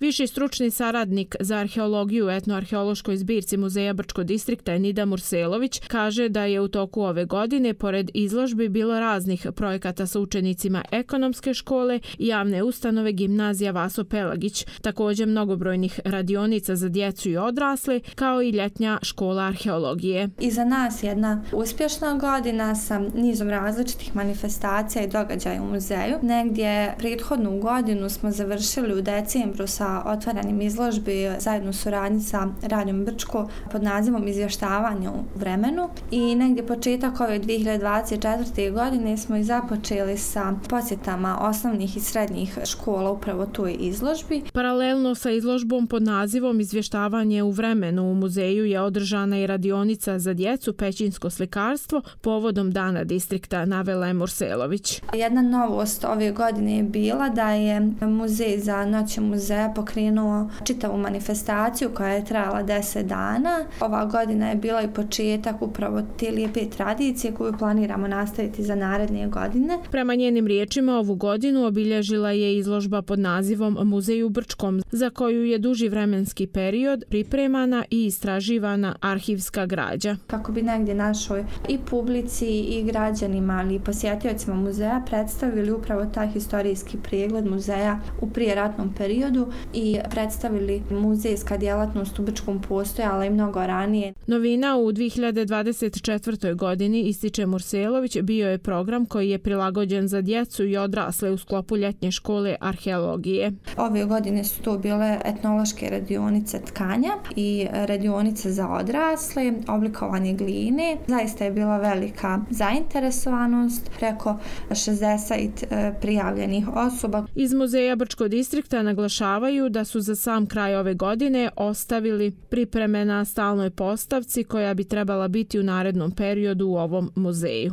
Viši stručni saradnik za arheologiju u etnoarheološkoj zbirci Muzeja Brčko distrikta Nida Murselović kaže da je u toku ove godine pored izložbi bilo raznih projekata sa učenicima ekonomske škole i javne ustanove gimnazija Vaso Pelagić, također mnogobrojnih radionica za djecu i odrasle, kao i ljetnja škola arheologije. Iza nas jedna uspješna godina sa nizom različitih manifestacija i događaja u muzeju. Negdje prethodnu godinu smo završili u decembru sa otvaranjem izložbi zajedno u suradnji sa Radijom Brčko pod nazivom Izvještavanje u vremenu i negdje početak ove 2024. godine smo i započeli sa posjetama osnovnih i srednjih škola upravo toj izložbi. Paralelno sa izložbom pod nazivom Izvještavanje u vremenu u muzeju je održana i radionica za djecu Pećinsko slikarstvo povodom Dana distrikta, navela je Murselović. Jedna novost ove godine je bila da je Muzej za noć muzeja pokrenuo čitavu manifestaciju koja je trajala 10 dana. Ova godina je bila i početak upravo te lijepe tradicije koju planiramo nastaviti za naredne godine. Prema njenim riječima, ovu godinu obilježila je izložba pod nazivom Muzej u Brčkom, za koju je duži vremenski period pripremana i istraživana arhivska građa. Kako bi negdje našoj i publici i građanima, ali i posjetiocima muzeja predstavili upravo taj historijski pregled muzeja u prijeratnom periodu i predstavili muzejska djelatnost u Brčkom postojala i mnogo ranije. Novina u 2024. godini, ističe Murselović, bio je program koji je prilagođen za djecu i odrasle u sklopu ljetnje škole arheologije. Ove godine su to bile etnološke radionice tkanja i radionice za odrasle, oblikovanje gline. Zaista je bila velika zainteresovanost, preko 60 prijavljenih osoba. Iz Muzeja Brčko distrikta naglašavaju da su za sam kraj ove godine ostavili pripreme na stalnoj postavci koja bi trebala biti u narednom periodu u ovom muzeju.